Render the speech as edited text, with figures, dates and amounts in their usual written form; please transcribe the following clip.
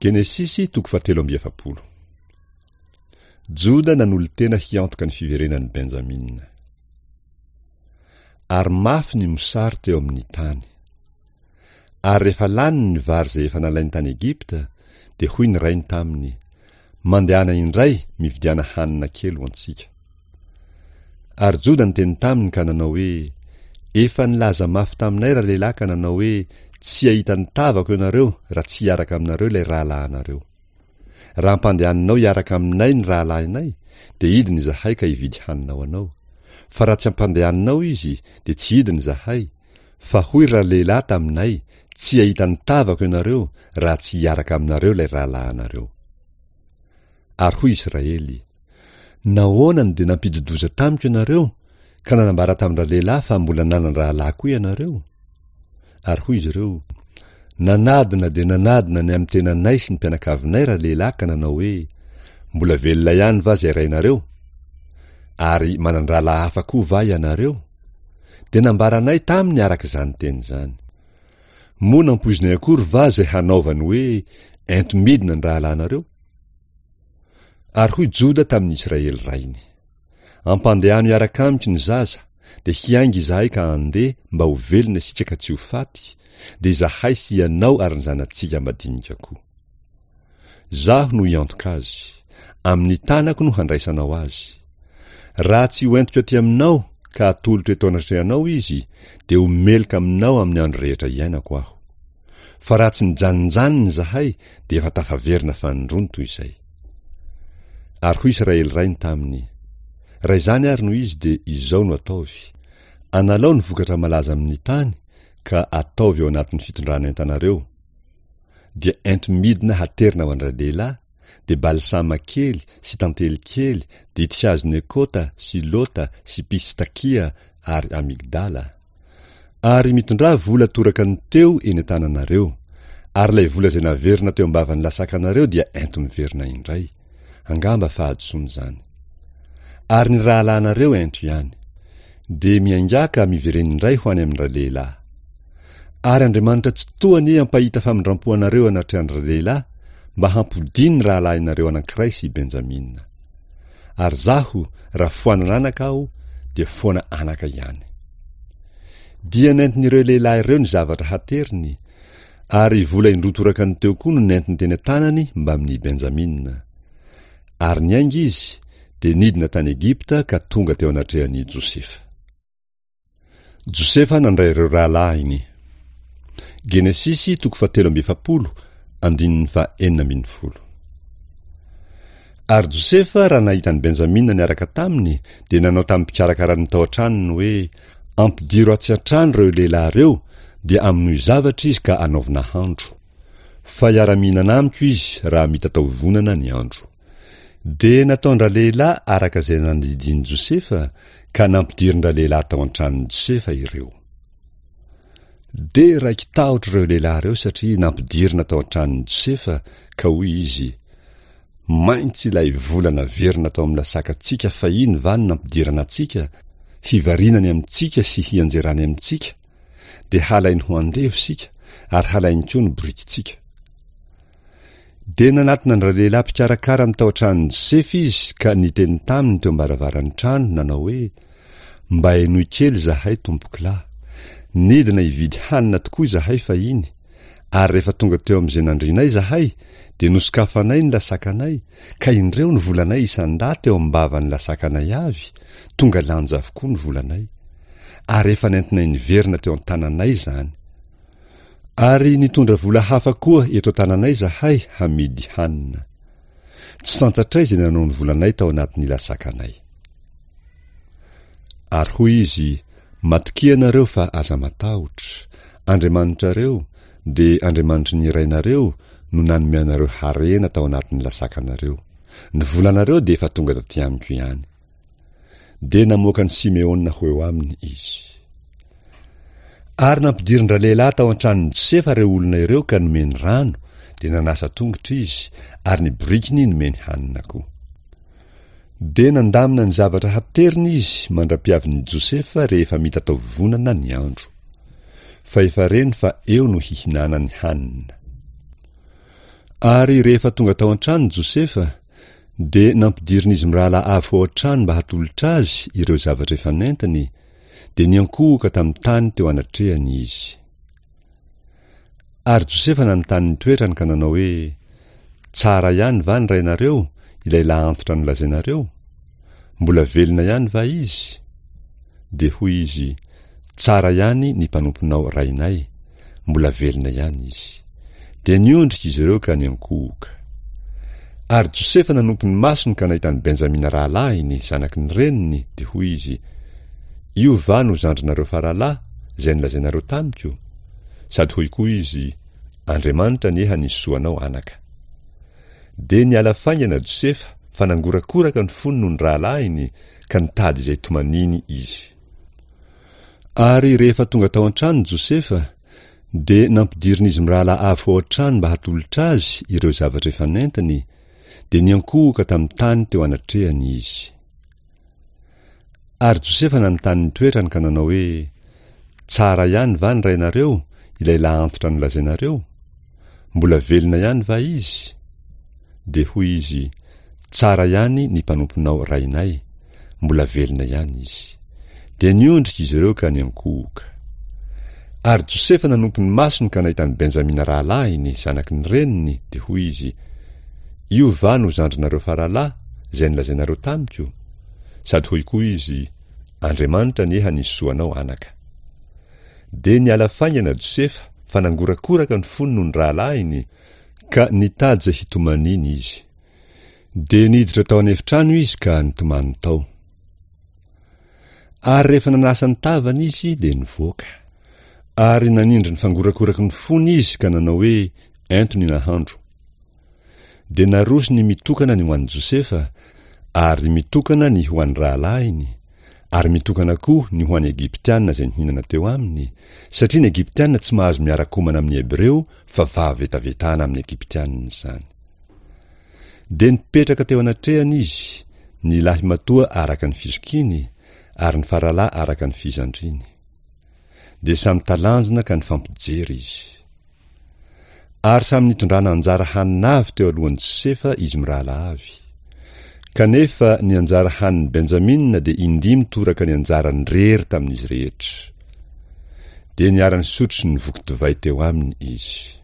Genesisy toko fahatelo amby 40. Joda nanolo-tena hiantoka ny fiverenan'i Benjamina. Ary mafy ny mosary teo amin'ny tany. Ary rehefa lany ny vary izay efa nalainy tany Egypta, dia hoy ny rainy taminy, Mandehana indray mividiana hanina kely ho antsika. Ary Joda niteny taminy ka nanao hoe, Efa nilaza mafy taminay ralehilahy ka nanao hoe, Tsy hahita ny tavako ianareo raha tsy hiaraka aminareo ilay rahalahinareo. Raha ampandehaninao hiaraka aminay ny rahalahinay, dia hidina izahay ka hividy hanina ho anao. Fa raha tsy ampandehaninao izy, dia tsy hidina izahay, fa hoy ralehilahy taminay, Tsy hahita ny tavako ianareo raha tsy hiaraka aminareo ilay rahalahinareo. Ary hoy Israely, Nahoana no dia nampidi-doza tamiko ianareo, ka nanambara tamin-dralehilahy fa mbola nanan-drahalahy koa ianareo? Ary hoy izy ireo, Nanadina dia nanadina ny amin'ny tenanay sy ny mpianakavinay ralehilahy ka nanao hoe, Mbola velona ihany va izay rainareo? Ary manan-drahalahy hafa koa va ianareo? Dia nambaranay taminy araka izany teny izany. Moa nampoizinay akory va izay hanaovany hoe, Ento midina ny rahalahinareo? Ary hoy Joda tamin'i Israely rainy, Ampandehano hiaraka amiko ny zaza, dia hiainga izahay ka handeha mba ho velona isika ka tsy ho faty, dia izahay sy ianao ary ny zanatsika madinika koa. Izaho no hiantoka azy. Amin'ny tanako no handraisanao azy. Raha tsy hoentiko aty aminao ka atolotro eto anatrehanao izy, dia ho meloka aminao amin'ny andro rehetra iainako aho. Fa raha tsy nijanonjanona izahay dia efa tafaverina fanindroany toy izay. Ary hoy Israely rainy taminy, Raha izany ary no izy dia izao no ataovy, Analao ny vokatra malaza amin'ny tany ka ataovy ao anatin'ny fitondran'entanareo, dia ento midina haterina ho an-dralehilahy, dia balsama kely sy tantely kely, ditin-kazo nekota sy lota sy pistakia ary amygdala. Ary mitondrà vola toraka ny teo eny an-tananareo, ary ilay vola izay naverina teo am-bavan'ny lasakanareo dia ento miverina indray. Angamba fahadisoana izany. Ary ny rahalahinareo ento ihany. Dia miaingà ka miverena indray ho any amin-dralehilahy. Ary Andriamanitra Tsitoha anie hampahita famindrampo anareo anatrehan-dralehilahy, mba hampodiany ny rahalahinareo anankiray sy i Benjamina. Ary izaho, raha foanana anaka aho, dia foana anaka ihany. Dia nentin'ireo lehilahy ireo ny zavatra hateriny, ary vola indroa toraka ny teo koa no nentiny teny an-tanany mbamin'i Benjamina. Ary niainga izy, dia nidina tany Egypta ka tonga teo anatrehan'i Josefa. Josefa nandray ireo rahalahiny. Genesisy toko fahatelo amby 40, andininy faha-16. Ary Josefa, raha nahita an'i Benjamina niaraka taminy, dia nanao tamin'ny mpikarakara ny tao an-tranony hoe, Ampidiro atsy an-trano ireo lehilahy ireo, dia amonoy zavatra izy ka anaovy nahandro. Fa hiara-mihinana amiko izy raha mitatao-vonana ny andro. Dia nataon-dralehilahy araka izay nandidian'i Josefa, ka nampidirin-dralehilahy tao an-tranon'i Josefa ireo. Dia raiki-tahotra ireo lehilahy ireo satria nampidirina tao an-tranon'i Josefa, ka hoy izy, Maintsy ilay vola naverina tao amin'ny lasakantsika fahiny va no nampidirana antsika, hivarinany amintsika sy hianjerany amintsika? Dia halainy ho andevo isika, ary halainy koa ny borikintsika. Dia nanatona an-dralehilahy mpikarakara ny tao an-tranon'i Josefa izy ka niteny taminy teo am-baravaran'ny trano, nanao hoe, Mba henoy kely izahay, tompokolahy. Nidina hividy hanina tokoa izahay fahiny, ary rehefa tonga teo amin'izay nandrianay izahay, dia nosokafanay ny lasakanay, ka indreo ny volanay isan-dahy teo am-bavan'ny lasakanay avy, tonga lanja avokoa ny volanay. Ary efa nentinay niverina teo an-tananay izany. Ary nitondra vola hafa koa eto an-tananay izahay hamidy hanina. Tsy fantatray izay nanao ny volanay tao anatin'ny lasakanay. Ary hoy izy, Matokia ianareo fa aza matahotra. Andriamanitrareo, dia Andriamanitry ny rainareo, no nanome anareo harena tao anatin'ny lasakanareo. Ny volanareo dia efa tonga taty amiko ihany. Dia namoaka an'i Simeona ho eo aminy izy. Ary nampidirin-dralehilahy tao an-tranon'i Josefa ireo olona ireo ka nomeny rano, dia nanasa tongotra izy, ary ny borikiny nomeny hanina koa. Dia nandamina ny zavatra hateriny izy mandra-piavin'i Josefa rehefa mitatao-vonana ny andro. Fa efa reny fa eo no hihinanany hanina. Ary rehefa tonga tao an-trano Josefa, dia nampidirin'izy mirahalahy avy ho ao an-trano mba hatolotra azy ireo zavatra efa nentiny, dia niankohoka tamin'ny tany teo anatrehany izy. Ary Josefa nanontany ny toetrany ka nanao hoe, Tsara ihany va ny rainareo, ilay lahantitra nolazainareo? Mbola velona ihany va izy? Dia hoy izy, Tsara ihany ny mpanomponao rainay, mbola velona ihany izy. Dia niondrika izy ireo ka niankohoka. Ary Josefa nanompo ny masony ka nahita an'i Benjamina rahalahiny, zanaky ny reniny, dia hoy izy, Io va no zandrinareo faralahy, izay nolazainareo tamiko? Sady hoy koa izy, Andriamanitra anie hanisy soa anao, anaka. Dia niala faingana Josefa, fa nangorakoraka ny fony noho ny rahalahiny, ka nitady izay tomaniny izy. Ary rehefa tonga tao an-trano Josefa, dia nampidirin'izy mirahalahy avy ho ao an-trano mba hatolotra azy ireo zavatra efa nentiny, dia niankohoka tamin'ny tany teo anatrehany izy. Ary Josefa nanontany ny toetrany ka nanao hoe, Tsara ihany va ny rainareo, ilay lahantitra nolazainareo? Mbola velona ihany va izy? Dia hoy izy, Tsara ihany ny mpanomponao rainay, mbola velona ihany izy. Dia niondrika izy ireo ka niankohoka. Ary Josefa nanompo ny masony ka nahita an'i Benjamina rahalahiny, zanaky ny reniny, dia hoy izy, Io va no zandrinareo faralahy, izay nolazainareo tamiko? Sady hoy koa izy, Andriamanitra anie hanisy soa anao, anaka. Dia niala faingana Josefa, fa nangorakoraka ny fony noho ny rahalahiny, ka nitady izay hitomaniany izy. Dia niditra tao an'efitrano izy ka nitomany tao. Ary rehefa nanasa ny tavany izy, dia nivoaka. Ary nanindry ny fangorakoraky ny fony izy ka nanao hoe, Ento ny nahandro. Dia naroso ny mitokana ny ho an'i Josefa, ary mitokana ny ho an'ny rahalahiny, ary mitokana koa ny ho an'ny Egyptiana izay nihinana teo aminy, satria ny Egyptiana tsy mahazo miara-komana amin'ny Hebreo fa fahavetavetana amin'ny Egyptiana izany. Dia nipetraka teo anatrehany izy, ny lahimatoa araka ny fizokiany, ary ny faralahy araka ny fizandriny. Dia samy talanjona ka nifampijery izy. Ary samy nitondrana anjara hanina avy teo alohan'i Josefa izy mirahalahy avy. Kanefa ny anjara hanin'i Benjamina dia indimy toraka ny anjarany rery tamin'izy rehetra. Dia niara-nisotro sy nivoky divay teo aminy izy.